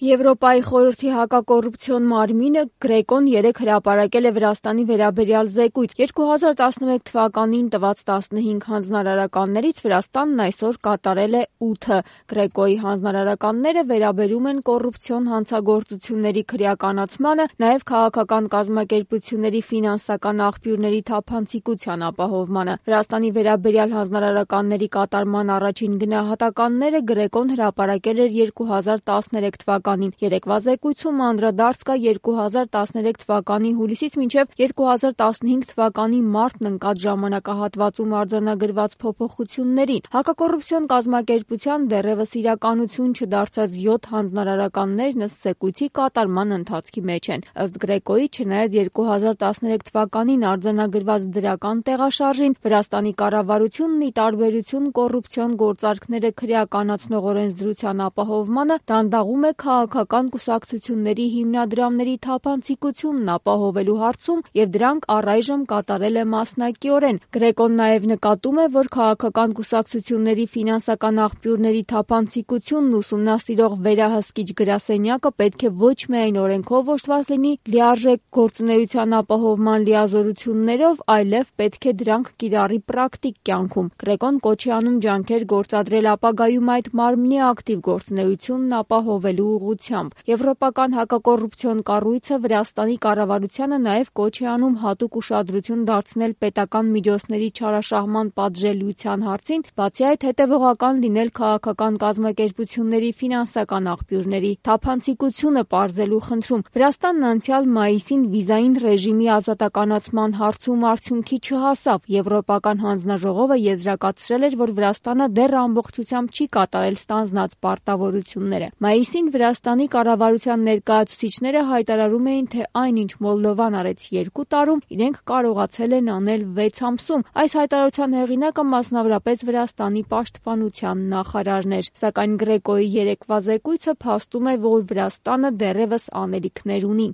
Եվրոպայի խորհրդի հակակոռուպցիոն մարմինը Գրեկոն երեկ հրապարակել է Վրաստանի վերաբերյալ զեկույց։ 2011 թվականին տված 15 հանձնարարականներից Վրաստանն այսօր կատարել է 8-ը։ Գրեկոյի հանձնարարականները վերաբերում են կոռուպցիոն հանցագործությունների քրեականացմանը, նաև քաղաքական կազմակերպությունների ֆինանսական աղբյուրների թափանցիկության ապահովմանը։ Վրաստանի վերաբերյալ հանձնարարականների կատարման առաջին գնահատականները Գրեկոն հրապարակել էր 2013 թվականին։ Երեկվա զեկույցում անդրադարձ կա 2013 թվականի հուլիսից մինչև 2015 թվականի մարտն ընկած ժամանակահատվածում արձանագրված փոփոխություններին։ Հակակոռուպցիոն կազմակերպության դեռևս իրականություն չդարձած 7 հանձնարարականներն ըստ զեկույցի կատարման ընթացքի մեջ են։ Ըստ Գրեկոյի, չնայած 2013 թվականին արձանագրված դրական տեղաշարժին, Վրաստանի կառավարությունն ի տարբերություն կոռուպցիոն գործարքները քրեականացնող օրենսդրության ապահովմանը դանդաղում է քաղաքական կուսակցությունների հիմնադրամների թափանցիկությունն ապահովելու հարցում և դրանք առայժմ կատարել է մասնակիորեն։ Գրեկոն նաև նկատում է, որ քաղաքական կուսակցությունների ֆինանսական աղբյուրների թափանցիկությունն ուսումնասիրող վերահսկիչ գրասենյակը պետք է ոչ միայն օրենքով օժտված լինի լիարժեք գործունեության ապահովման լիազորություններով, այլև պետք է դրանք կիրառի պրակտիկ կյանքում։ Գրեկոն կոչ է անում ջանքեր գործադրել ապագայում այդ մարմնի ակտիվ գործունեությունն ապահովելու ուղղությամբ։ Եվրոպական հակակոռուպցիոն կառույցը Վրաստանի կառավարությանը նաև կոչ է անում հատուկ ուշադրություն դարձնել պետական միջոցների չարաշահման պատժելիության հարցին, բացի այդ հետևողական լինել քաղաքական կազմակերպությունների ֆինանսական աղբյուրների թափանցիկությունը պարզելու խնդրում։ Վրաստանն անցյալ մայիսին վիզային ռեժիմի ազատականացման հարցում արդյունքի չհասավ։ Եվրոպական հանձնաժողովը եզրակացրել էր, որ Վրաստանը դեռ ամբողջությամբ չի կատարել ստանձնած պարտավորությունները։ Մայիսին Վրաստանի կառավարության ներկայացուցիչները հայտարարում էին, թե այնինչ Մոլդովան արեց 2 տարում, իրենք կարողացել են անել 6 ամսում։ Այս հայտարարության հեղինակը մասնավորապես Վրաստանի պաշտպանության նախարարն էր։ Սակայն Գրեկոյի երեկվա զեկույցը փաստում է, որ Վրաստանը դեռևս անելիքներ ունի։